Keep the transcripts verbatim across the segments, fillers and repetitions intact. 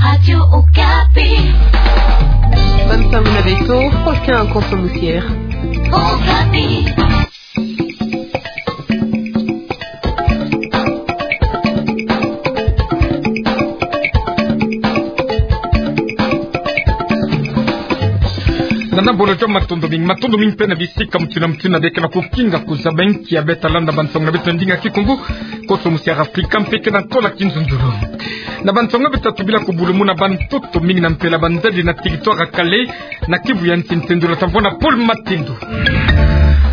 Radio Okapi. Bansango na beto, Faustin Konso Musiere. Okapi. Nana bolo jwa matondo mingi, matondo mingi mpe na bisika mutindu na mutindu beke na kukinga kuzaba inki ya beta landa bansango na beto na ndinga Kikongo, Konso Musiere Afrika mpe ke na ntoto na kinzunzulu. Na bansango beta tubila kubulumuna bantoto mingi na mpela banzadi na territoire ya Kalehe, na Kivu ya nsi, ntendula ta mvwama Paul Matendo.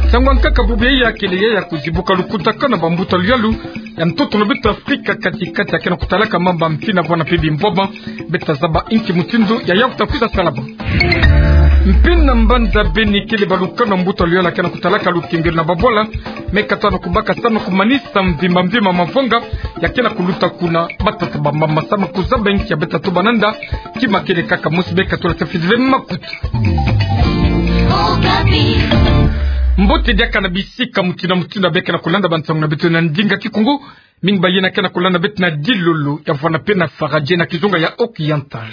Nsangu ya nkaka bubu yayi ya kele yayi ya kuzibuka lukutakanu na bambuta luyalu ya ntoto na beto Afrika kati-kati ya ke na kutalaka mambu ya mfina, bwana mpe bimvwama, beta zaba inki mutindu yayi ya kuta kwiza salama. Mpe na mbanza Beni kele balukanu ya mbuta luyalu ya ke na kutalaka lukengelo na babwala, me kata na kubaka samu na kumanisa mvimba mvimba mavanga ya ke na kuluta kuna. Bata sa bamama samu na kuzaba inki ya beta tuba nanda, kima kele kaka mosi, beka tula sa fidele makutu. Mbote diaka na bisika mutindu na mutindu beke na kulanda bansango na beto na ndinga Kikongo, mingi bayina ke na kulanda beto na Dilolo ya vwanda mpe na Faradje na kizunga ya Occidental.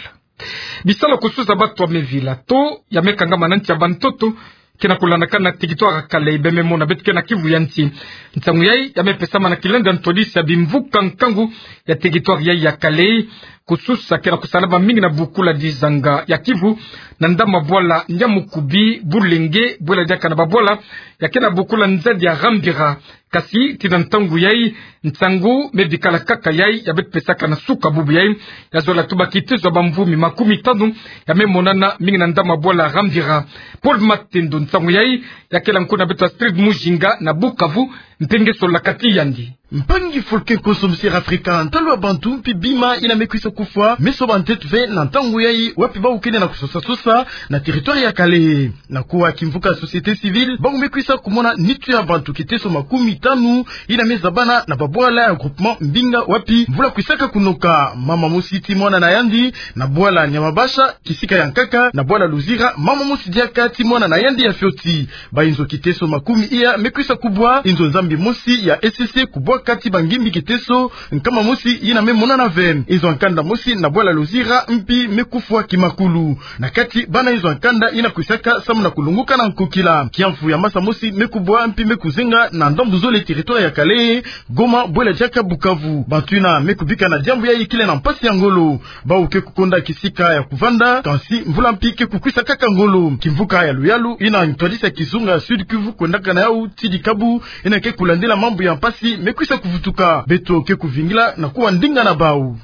Bisalu kususa batu ya mevila to ya me kangama na nsi ya bantoto ke na kulandakana na territoire ya Kalehe, bembe mona beto ke na Kivu ya nsi. Nsangu yayi ya me pesama na kilenda ntwadisi ya bimvuka nkangu ya territoire yayi ya Kalehe, kususa ke na kusalama mingi na bukula dizanga ya Kivu, na ndambu ya bwala Nyamukubi, Bulenge, bwela diaka na babwala ya ke na bukula nzadi ya Rambira. Kasi tii na ntangu yayi, nsangu me bikala kaka yayi ya beto pesaka na suka bubu yayi, ya zola tuba kitezo ya bamvumi makumi tanu ya me monana mingi na ndambu ya bwala Rambira. Paul Matendo, nsangu yayi ya kela nkuna beto Astrid Mujinga na Bukavu, mpe nge sola kati yandi. Mpangi Faustin Konso Musiere Afrika, ntalu ya bantu mpe bima yina me kwisa kufwa, me soba nteto ve na ntangu yayi, wapi bawu ke na kusosa-sosa na territoire ya Kalehe. Na kuwa kimvuka société civile, bawu me kwisa kumona nitu ya bantu kiteso makumi tanu yina me zabana na babwala ya groupement Mbinga, wapi mvula kwisaka kunoka. Mama mosi tii mwana na yandi na bwala Nyamabasha, kisika ya nkaka na bwala Luzira, mama mosi diaka tii mwana na yandi ya fioti. Bayinzo kiteso makumi iya me kwisa kubwa, yinzo Nzambi mosi ya E C C kubwa kati bangimbi kiteso nkama mosi yina me monana ve. Yinzo ya nkanda mosi na bwala Luzira mpi me kufwa kimakulu. Na kati bana yinzo ya nkanda yina kwisaka samu na kulunguka na nkokila. Kiamfu ya masa mosi me kubwa mpi me kuzenga na ndambu zole territoire ya Kalehe, Goma, bwela diaka Bukavu. Bantu yina me kubika na diambu yayi kele na mpasi ya ngolo. Bawu ke kukonda kisika ya kuvanda, kansi mvula mpi ke kukwisa kaka ngolo. Kimvuka ya luyalu yina ntwadisi ya kizunga Sud-Kivu kwendaka na yawu tii dikabu, yina ke kulandila mambu ya mpasi me kwisa kuvutuka. Beto ke kuvingila na kuwa ndinga na bawu.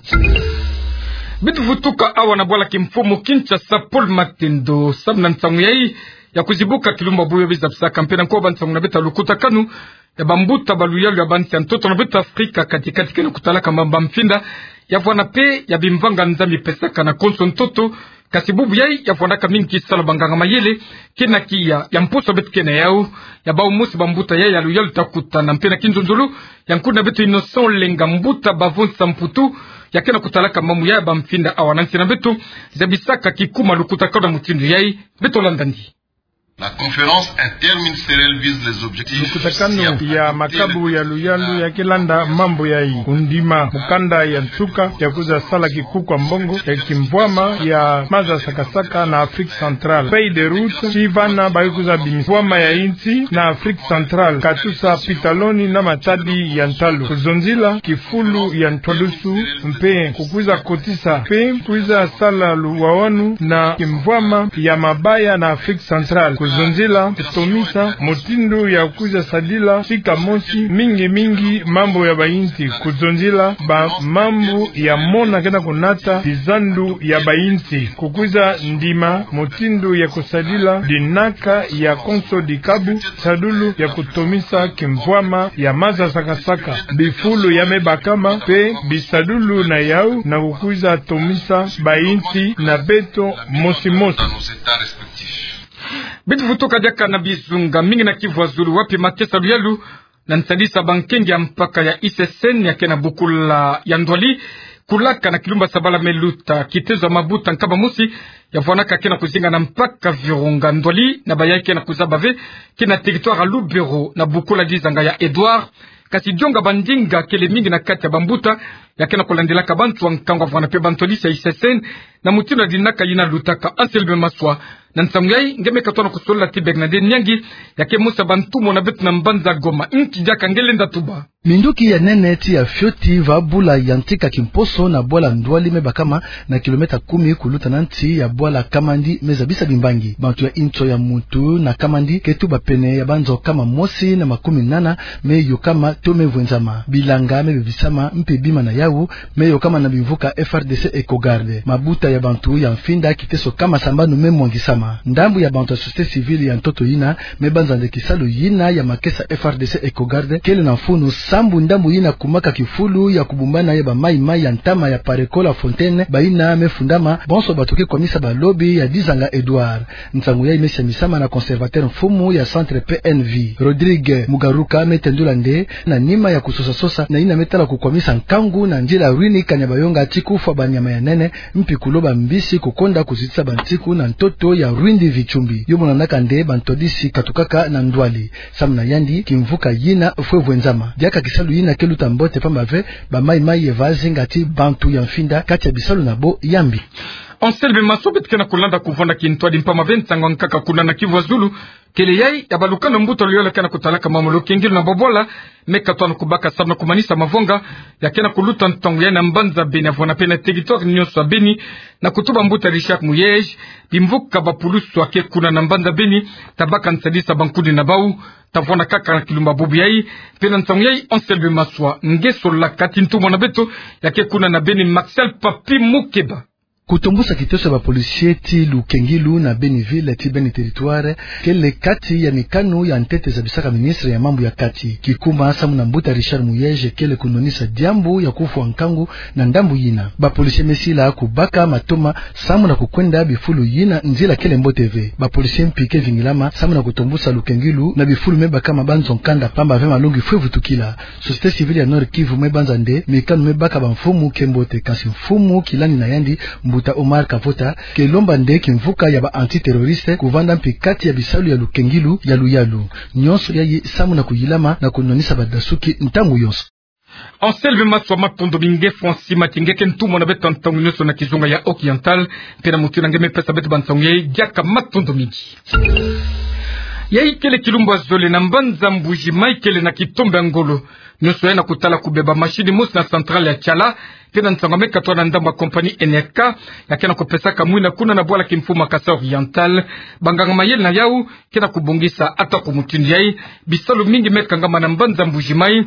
Beto vutuka awa na bwala kimfumu Kinshasa, Paul Matendo, samu na nsangu yayi ya kuzibuka kilumbu bubu yayi biza bisaka mpe na nkoba nsangu na beto lukutakanu ya bambuta ba luyalu ya bansi ya ntoto na beto Afrika kati-kati ke na kutalaka mambu ya mfinda, ya vwanda mpe ya bimvanga Nzambi pesaka na konso ntoto. Kasi bubu yayi ya vwandaka mingi kisalu banganga mayele ke na kiya ya mposo beto ke na yawu, ya bawu mosi bambuta yayi ya luyalu ta kutana mpe na kinzonzolo ya nkuna beto Innocent Olenga, mbuta Bavonsa Mputu, ya ke na kutalaka mambu yayi ya bamfinda awa na nsi na beto. Zabisaka kikuma lukutakanu na mutindu yayi, beto landa ndi. La conférence interministérielle vise les objectifs. Lukutakanu ya makabu ya luyalu ya ke landa mambu yayi: kundima mukanda ya nsuka ya kwiza sala kikuku ya mbongo ya kimvwama ya maza saka-saka na Afrique centrale. Feuille de route, tii vana ba kwiza bimisa mvwama ya yinsi na Afrique centrale, katusa pitaloni na matadi ya ntalu. Kuzonzila kifulu ya ntwadusu mpe kukwiza kotisa mpe kwiza sala luwawanu na kimvwama ya mabaya na Afrique centrale. Kuzonzila kutomisa mutindu ya kwiza sadila sika mosi mingi-mingi mambu ya bayinsi. Kuzonzila bamambu ya mona ke na kunata bizandu ya bayinsi. Kukwiza ndima mutindu ya kusadila dinaka ya konso dikabu, sadulu ya kutomisa kimvwama ya maza saka-saka, bifulu ya me bakama mpe bisadulu na yawu na kukwiza tomisa bayinsi na beto mosi-mosi. Beto vutuka diaka na bizunga mingi na Kivu ya Zulu, wapi makesa luyalu na nsadisa bankenge ya mpaka ya I C C N ya ke na bukula ya Ndwali, kulaka na kilumbu ya sabala me luta, kitezo ya mabuta nkama mosi ya vwanaka ke na kuzinga na mpaka Virunga Ndwali, na bayayi ke na kuzaba ve ke na territoire ya Lubero na bukula dizanga ya Edouard. Kasi dionga bandinga kele mingi na kati ya bambuta ya ke na kulandilaka bantu ya nkangu, wavwanga mpe bantu ya disi ya I C S N, na mutindu ya dinaka yina lutaka. Anselme Maswa, na nsangu yayi nge me katwa na kusolola ti Bernadette Nyangi, ya ke mosi ya bantumwa na beto na mbanza Goma. Nki diaka nge lenda tuba? Minduki ya nene ti ya fioti va bula yantika kimposo na bwala Ndwali me bakama na kilomètre kumi kuluta na nsi ya bwala Kamandi me zabisa bimbangi. Bantu ya inso ya mutu na Kamandi ke tuba pene ya banzo kama mosi na makumi nana me yokama to me vwenzama. Bilanga me bebisama mpe bima na yawu me yokama na bimvuka F R D C Eco Garde. Mabuta ya bantu ya mfinda kiteso kama sambanu me mwangisama. Ndambu ya bantu ya société civile ya ntoto yina me banza nde kisalu yina ya makesa F R D C Eco Garde kele na mfunu, sambu ndambu yina kumaka kifulu ya kubumbana ya ba mayi-mayi ya ntama ya Pareco-La Fontaine, bayina me fundama bonso bato ke kwamisa balobi ya Dizanga Edouard. Nsangu yayi me siamisama na conservateur mfumu ya centre P N V, Rodrigue Mugaruka, me tendula nde na nima ya kusosa-sosa na yina me tala kukwamisa nkangu na nzila Rwindi Kanyabayonga ti kufwa banyama ya nene, mpi kuloba mbisi kukonda kuzitisa bansiku na ntoto ya Rwindi Vichumbi. Yo monanaka nde bantu ya disi katukaka na Ndwali. Samu na yandi, kimvuka yina fwe vwenzama. Diaka kisalu yina ke luta mbote, pamba ve ba mayi-mayi ye va zinga ti bantu ya mfinda kati ya bisalu na bo ya mbi. Anselme Maswa, beto ke na kulanda kuvwanda kintwadi mpamba ve nsangu ya nkaka kuna na Kivu ya Zulu. Kele yayi ya balukanu ya mbuta luyalu ya ke na kutalaka mambu ya lukengilu na babwala me katwa na kubaka samu na kumanisa mavwanga ya ke na kuluta ntangu yayi na mbanza Beni, wavwanga mpe na territoire nyonso ya Beni, na kutuba mbuta Richard Muyej, bimvuka bapulusu ya ke kuna na mbanza Beni ta baka nsadisa bankudi na bawu, ta vwanda kaka na kilumbu bubu yayi. Mpe na ntangu yayi, Anselme Maswa, nge solaka ti ntumwa na beto ya ke kuna na Beni, Martial Papi Mukeba. Kutombusa kiteso ya ba policiers ti lukengilu na Beni ville ti Beni territoire kele kati ya mikanu ya ntete zabisaka ministre ya mambu ya kati. Kikuma samu na mbuta Richard Muyej kele kunwanisa diambu ya kufwa nkangu na ndambu yina. Ba policiers me sila kubaka matoma samu na kukwenda bifulu yina nzila kele mbote ve. Ba policiers mpi ke vingilama samu na kutombusa lukengilu na bifulu me bakama banzo nkanda, pamba ve malongi fwe vutukila. Société civile ya Nord-Kivu me banza nde mikanu me baka bamfumu ke mbote, kansi mfumu kilandi na yandi, mbuta Omar Kavota, ke lomba nde kimvuka ya ba antiterroristes kuvwanda mpi kati ya bisalu ya lukengilu ya luyalu. Nyonso yayi samu na kuyilama na kunwanisa badasuki ntangu yonso. Anselme Maswa, matondo mingi. Nge Francis Mathy, nge ke ntumwa na beto ntangu nyonso na kizunga ya Oriental, mpe na mutindu nge me pesa beto bansangu yayi, diaka matondo mingi. Yayi kele kilumbu ya zole na mbanza Mbuji-Mayi kele na kitombe ya ngolo. Nyonso yayi na kutala kubeba machine mosi na centrale ya Tshala, mpe na nsangu ya me katwa na ndambu ya compagnie N R K, ya ke na kupesaka mwina kuna na bwala kimfumu ya Kasaï Oriental. Banganga mayele na yawu ke na kubongisa ata ku mutindu yayi bisalu mingi me kangama na mbanza Mbuji-Mayi.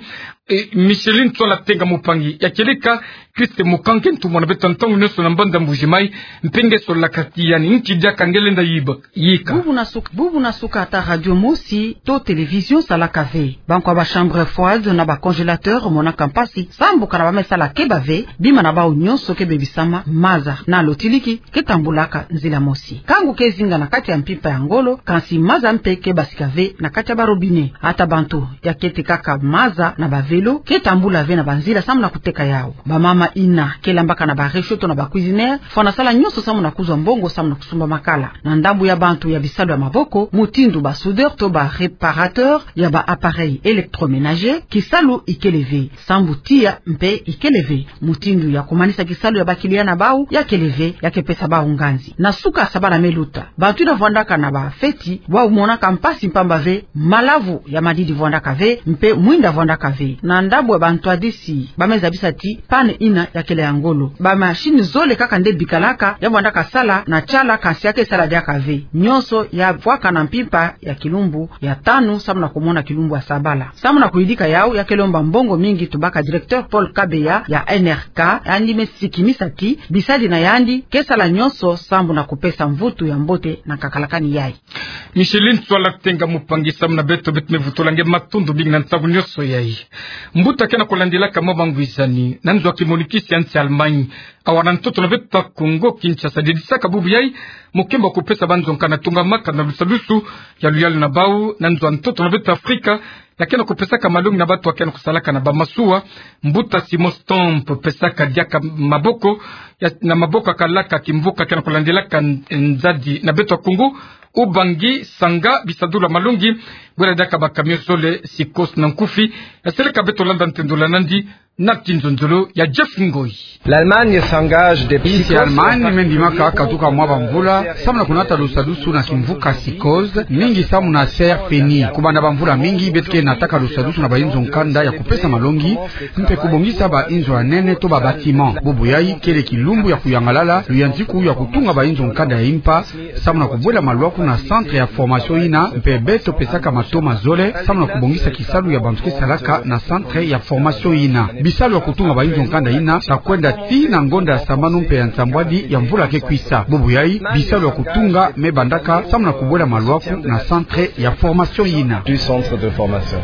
E, Micheline Tswala Tenga Mupangi, ya kele ka Christ Mukange, ntumwa na beto ntangu nyonso na mbanza Mbuji-Mayi, mpe nge solaka ti yandi, nki diaka nge lenda yiba, yika? Bubu na suka, bubu na suka ata radio mosi to télévision salaka ve. Bankwa ba chambres froides na ba congélateurs monaka mpasi, sambu kana ba me sala keba ve, bima na bawu nyonso ke bebisama, maza na lotiliki ke tambulaka nzila mosi. Nkangu ke zinga na kati ya mpimpa ya ngolo, kansi maza mpe ke basika ve na kati ya ba robinet. Ata bantu ya ke tekaka maza na ba vélo ke tambula ve na banzila samu na kuteka yawu. Bamama yina ke lambaka na ba réchaud to na ba cuisinière, fwana sala nyonso samu na kuzwa mbongo samu na kusumba makala. Na ndambu ya bantu ya bisalu ya maboko, mutindu ba soudeurs to ba réparateurs ya ba appareils électroménagers, kisalu ikele ve. Sambu tiya mpe ikele ve. Mutindu ya kumanisa kisalu ya ba clients na bawu ya kele ve, ya ke pesa bawu nganzi. Na suka ya sabala me luta, bantu yina vwandaka na ba feti, bawu monaka mpasi mpamba ve malavu ya madidi vwandaka ve, mpe mwinda vwandaka ve. Na ndambu ya bantwadisi, ba me zabisa ti panne yina ya kele ya ngolo. Ba machine zole kaka nde bikalaka, ya vwandaka sala na Tshala, kansi ya ke sala diaka ve. Nyonso ya vwaka na mpimpa ya kilumbu ya tanu samu na kumona kilumbu ya sabala. Samu na kuyidika yawu, ya ke lomba mbongo mingi, tubaka directeur Paul Kabeya ya N R K, yandi me sikimisa ti bisadi na yandi ke sala nyonso sambu na kupesa mvutu ya mbote na kakalakani yayi. Micheline Tswala Tenga Mupangi, samu na beto, beto me vutula nge matondo mingi na nsangu nyonso yayi. Mbuta ke na kulandilaka mwa mangwisani na nzo ya kimonikisi ya nsi Allemagne, awa na ntoto na beto Kongo Kinshasa, dedisaka bubu yayi mukembo wa kupesa banzo nkanda tungamaka na lusadusu ya luyalu na bawu na nzo ya ntoto na beto Afrika, ya ke na kupesaka malongi na bantu ya ke na kusalaka na bamasuwa. Mbuta Simon Stomp pesaka diaka maboko ya, na maboko ya kalaka kimvuka ke na kulandilaka n-, nzadi na beto ya Kongo, Ubangi, Sanga, bisadulu ya malongi, bwela diaka ba camion zole, Sicos na Nkufi. Ya seleka beto landa ntendolo ya nandi, Na kinzonzolo ya Jeff Ngoyi. L'Allemagne s'engage depuis... Insi ya Allemagne me ndimaka katuka mwa bamvula samu na kunata lusadusu na kimvuka Psychose, mingi samu na C R P N I. Kubanda bamvula mingi beto ke nataka lusadusu na bainzo nkanda ya kupesa malongi mpe kubongisa bainzo ya nene to ba bâtiments. Bubu yai kele kilumbu ya kuyangalala, luyantiku ya kutunga bainzo nkanda ya impa samu na kubwela malwaku na centre ya formation yina, mpe beto pesaka matoma zole samu na kubongisa kisalu ya bantu ke salaka na centre ya formation yina. Bisalu ya kutunga bainzo nkanda yina ta kwenda tii na ngonda ya sambanu mpe ya nsambwadi ya mvula ke kwisa. Bubu yai bisalu ya kutunga me bandaka samu na kubwela malwaku na centre ya formation yina. Du centre de formation.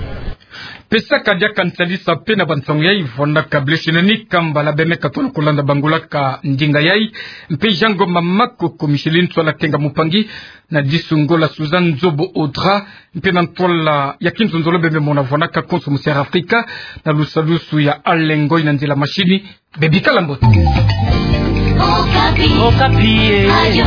Pesaka diaka nsalisa mpe na bansangu yai, vwandaka Blaise Neni Kambala, bemeka tolo kulanda bangula ka ndinga yai, mpe Jean Ngoma Makoko, Micheline Ntsoila Kenga, mopangi na Disungola, Suzanne Nzobo Audra, mpe na ntwala ya kinzonzolo bembe mona vwandaka konso mu Sierra Africa na lusadusu ya Alain Ngoyi. Na nzila mashini, bebikala mbote. Okapi. Okapi, eh. Radio.